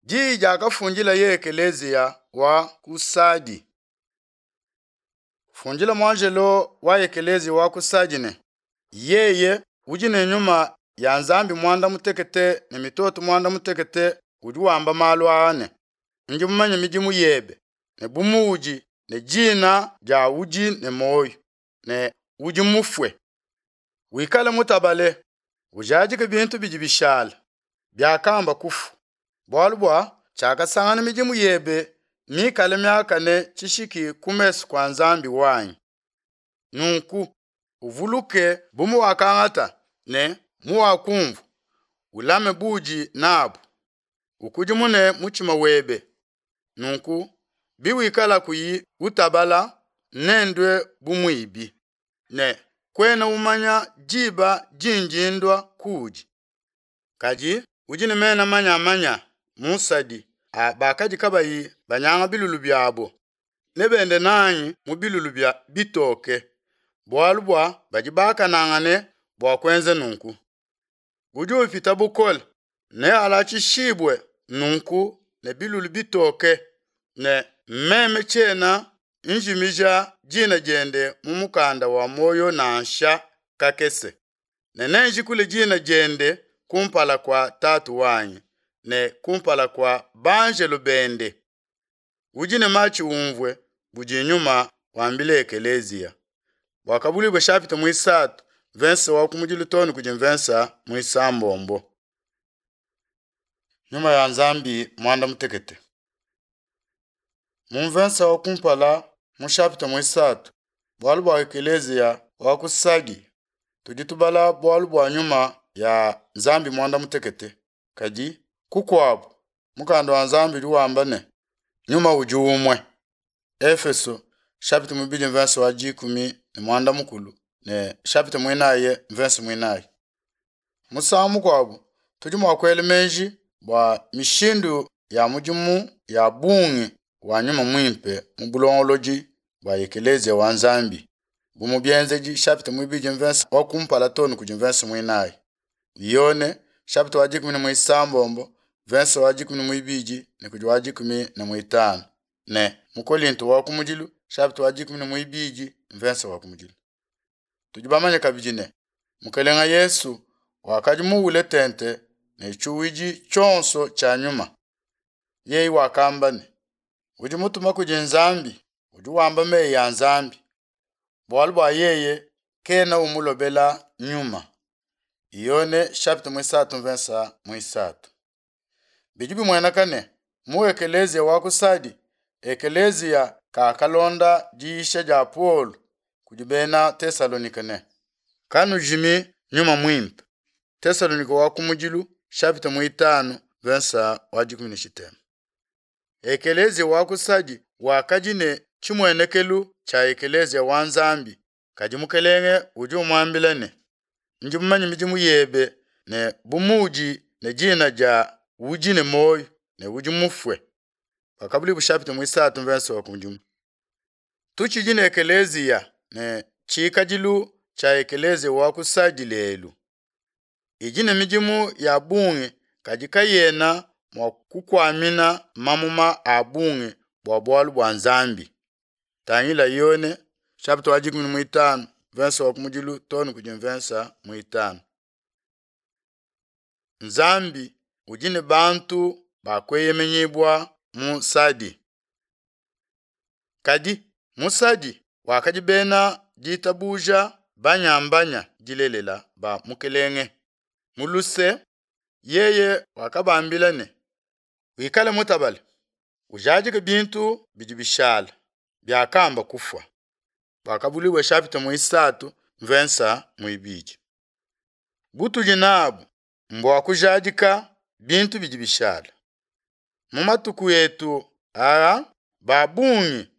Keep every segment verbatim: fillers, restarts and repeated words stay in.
Diyi diakafundilaye ekeleziya wa ku Sadi. Fundila muanjelo wa ekeleziya wa ku Sadi ne, yeye udi ne nyuma ya Nzambi muanda mutekete ne mitoto muanda mutekete udi wamba malu aa ne, ndi mumanye midimu yebe ne bu muudi ne dina dia udi ne muoyo ne udi mufue. Wikale mutabale, ujadike bintu bidi bishala biakamba kufua, bualu bua tshiakasangana midimu yebe mikale miakane tshishiki ku mesu kua Nzambi wanyi. Nunku uvuluke bu muwakangata ne muwakumvua, ulame budi nabu, ukudimune mutshima webe. Nunku biwikala kuyi utabala, nendue bu muibi, ne kuena umanya diba dindi ndua kuudi. Kadi udi ne mena manyamanya mu Sadi a bakadi kabayi banyanga bilulu biabo, nebende nanyi mu bilulu bia bitoke, bualu bua badi bakanangane bua kuenza nunku. Udi upita bukole nealatshishibue nunku ne bilulu bitoke, ne meme tshiena njimija dina diende mu mukanda wa muoyo nansha kakese, ne nenjikule dina diende kumpala kua Tatu wanyi ne kumpala kua banjelo bende. Udi ne matshi umvue budi Nyuma wambila ekeleziya. Buakabuluibua chapitre muisatu verset wa kumudilu too ne kudi mvensa muisambombo. Nyuma ya Nzambi muanda mutekete. Mu mvensa wa kumpala mu chapitre muisatu bualu bua ekeleziya wa ku Sadi tudi tubala bualu bua nyuma ya Nzambi muanda mutekete. Kadi kukuabu mukanda wa Nzambi udi wamba ne nyuma udi umue. Efeso chapitre muibidi mvensa wa dikumi ne muanda mukulu ne chapitre muinayi mvensa muinayi. Musangu mukuabu tudi mua kuela meji bua mishindu ya mudimu ya bungi wa nyuma muimpe mu bulongolodi bua ekeleziya wa Nzambi bu mu Bienzedi chapitre muibidi mvensa wa kumpala too ne kudi mvensa muinayi. Yone chapitre wa dikumi ne muisambombo mvensa wa dikumi ne muibidi ne kudi wa dikumi ne muitanu ne mu Kolinto wa kumudilu chapitre wa dikumi ne muibidi mvensa wa kumudilu. Tudi bamanye kabidi ne Mukelenga Yesu wakadi muwule tente ne tshiuwidi tshionso tshia nyuma. Yeye wakamba ne, udi mutuma kudi Nzambi udi wamba meyi a Nzambi, bualu bua yeye kena umulobela nyuma. Yone chapitre muisatu mvensa muisatu. Bidi bimueneka ne mu ekeleziya wa ku Sadi, ekeleziya kakalonda diyisha dia Paulo kudi bena Tesalonike ne kanujimi nyuma muimpe. Tesalonike wa kumudilu chapitre muitanu mvensa wa dikumi ne tshitema. Ekeleziya wa ku Sadi wakadi ne tshimuenekelu tshia ekeleziya wa Nzambi, kadi Mukelenge udi umuambila ne, ndi mumanye midimu yebe ne bu muudi ne dina dia udi ne muoyo ne udi mufue. Buakabuluibua chapitre muisatu mvensa wa kumudimu. Tutshidi ne ekeleziya ne tshikadilu tshia ekeleziya wa ku Sadi lelu. Idi ne midimu ya bungi kadi kayena mua kukuamina mamuma a bungi bua bualu bua Nzambi. Tangila Yone chapitre wa dikumi ne muitanu mvensa wa kumudilu too ne kudi mvensa muitanu. Nzambi udi ne bantu bakueyemenyibua mu Sadi. Kadi mu Sadi wakadi bena ditabuja banyambanya dilelela ba Mukelenge. Mu luse yeye wakabambila ne, wikale mutabale, ujadike bintu bidi bishala biakamba kufua. Buakabuluibua chapitre muisatu mvensa muibidi. Butudi nabu mbua kujadika bintu bidi bishala. Mu matuku etu aa ba bungi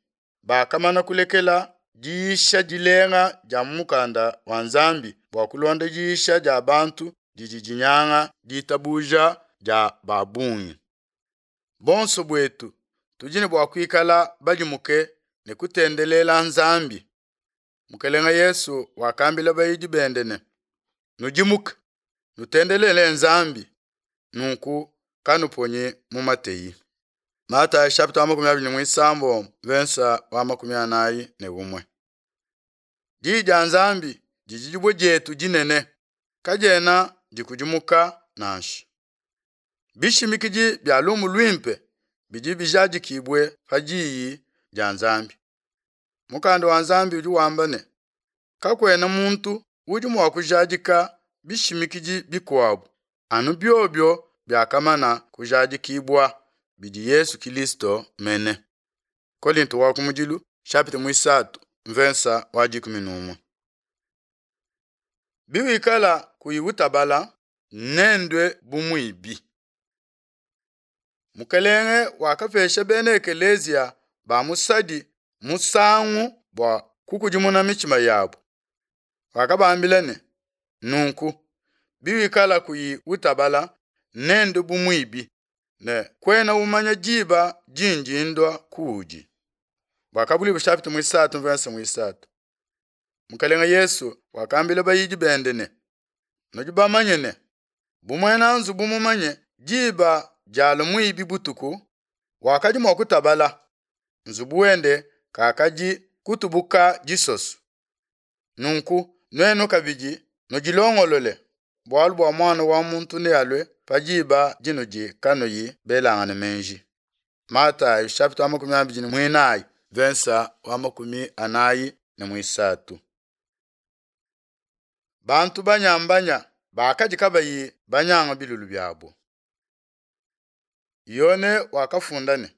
bakamana kulekela diyisha dilenga dia mu mukanda wa Nzambi bua kulonda diyisha dia bantu didi dinyanga ditabuja dia ba bungi. Bonso buetu tudi ne bua kuikala badimuke ne kutendelela Nzambi. Mukelenga Yesu wakambila bayidi bende ne, nudimuke, nutendelele Nzambi, nunku kanuponyi mu mateyi. Matayi chapitre wa makumi abidi ne muisambombo mvensa wa makumi anayi ne umue. Diyi dia Nzambi didi dibue dietu dinene, kadiena dikudimuka nansha. Bishimikidi bia lumu luimpe bidi bijadikibue pa diyi dia Nzambi. Mukanda wa Nzambi udi wamba ne, kakuena muntu udi mua kujadika bishimikidi bikuabu anu biobio biakamana kujadikibua bidi Yesu Kilisto mene. Kolinto wa kumudilu chapitre muisatu mvensa wa dikumi n'umue. Biwikala kuyi utabala nendue bu muibi. Mukelenge wakapesha bena ekeleziya ba mu Sadi musangu bua kukudimuna mitshima yabo. Wakabambila ne, nunku biwikala kuyi utabala nendue bu muibi ne kuena umanya diba dindi ndua kuudi. Buakabuluibua chapitre muisatu mvensa muisatu. Mukelenge Yesu wakambila bayidi bende ne, nudi bamanye ne, bu muena nzubu mumanye diba dialua muibi butuku, wakadi mua kutabala, nzubu wende kakadi kutubuka disoso. Nunku nuenu kabidi nudilongolole, bualu bua muana wa muntu nealue pa diba dinudi kanuyi belangane meji. Matayi chapitre wa makumi abidi ne muinayi mvensa wa makumi anayi ne muisatu. Bantu banyambanya bakadi kabayi banyanga bilulu biabo. Yone wakafunda ne,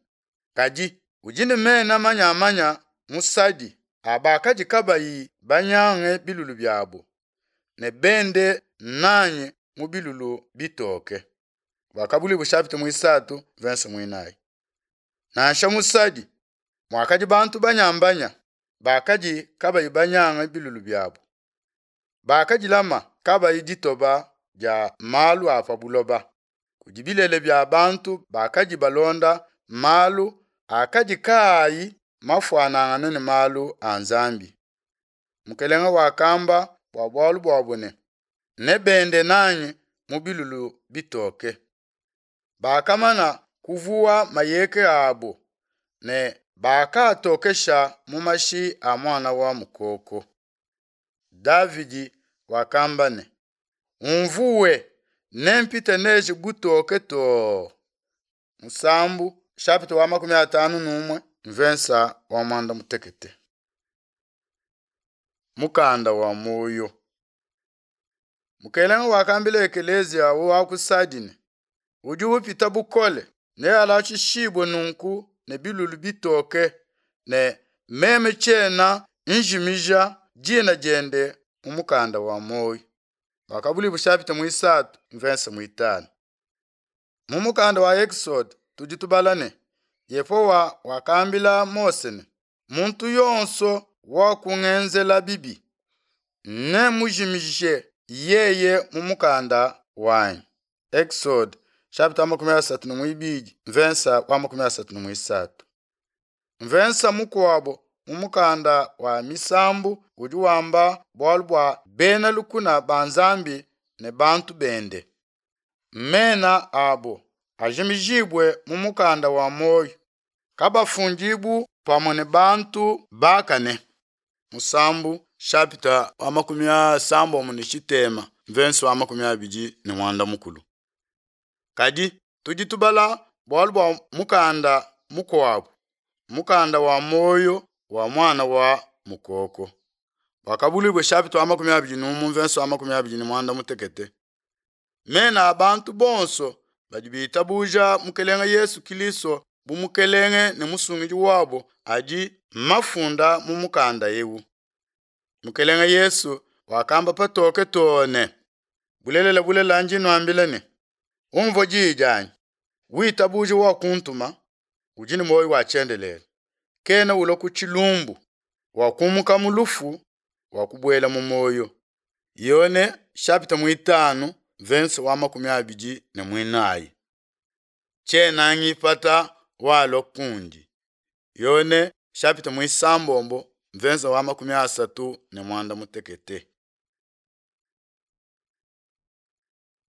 kadi udi ne mena manyamanya mu Sadi abakadi kabayi banyange bilulu biabo ne bende nanyi mu bilulu bitoke. Buakabuluibua chapitre muisatu mvensa muinayi. Nansha mu Sadi muakadi bantu banyambanya bakadi kabayi banyanga bilulu biabo. Bakadilama kabayi ditoba dia malu a pa buloba. Kudi bilele bia bantu bakadi balonda malu akadi kaayi mafuanangane ne malu a Nzambi. Mukelenge wakamba bua bualu buabo ne, nebende nanyi mu bilulu bitoke. Bakamana kuvuwa mayeke abo ne bakatokesha mu mashi a muana wa mukoko. Davidi wakamba ne, umvuwe nempite neji butoke too. Musambu chapitre wa makumi atanu n'umue mvensa wa mwanda mutekete. Mukanda wa moyo. Mukelenge wakambila ekelezia wa ku Sadi ne, udi upita bukole nealashishibue nunku ne bilulu bitoke ne meme tshiena njimija dina diende mu mukanda wa moyo. Buakabuluibua chapitre muisatu mvensa muitanu. Mu mukanda wa Exode tudi tubala ne, Yehowa wakambila Mose ne, muntu yonso wakungenzela bibi nemujimije yeye mu mukanda wanyi. Exode chapitre makumi asatu ne muibidi mvensa wa makumi asatu ne muisatu. Mvensa mukuabo mu mukanda wa Misambu udi wamba bualu bua bena lukuna ba Nzambi ne bantu bende. Mena abo ajimijibwe mu mukanda wa moyo, kabafundibu pamue ne bantu bakane. Musambu chapitre wa makumi asambombo ne tshitema mvensi wa makumi abidi ne mwanda mukulu. Kadi tudi tubala bualu bua mukanda mukuabu, mukanda wa moyo wa mwana wa mukoko. Buakabuluibua chapitre wa makumi abidi n'umue mvensi wa makumi abidi ne mwanda mutekete. Mena a bantu bonso badi bitabuja Mukelenge Yesu Kilisto bu Mukelenge ne musungidi wabo adi mafunda mu mukanda ewu. Mukelenge Yesu wakamba patoke too ne, bulelela bulelela ndi nuambila ne, umvua diyi dianyi, witabuje wakuntuma, udi ne muoyo wa tshiendelele, kena ulua ku tshilumbu, wakumuka mu lufu, wakubuela mu muoyo. Yone chapitre muitanu verse wa makumi abidi ne muinayi. Tshiena ngipata walua kundi. Yone chapitre muisambombo verse wa makumi asatu ne mwanda mutekete.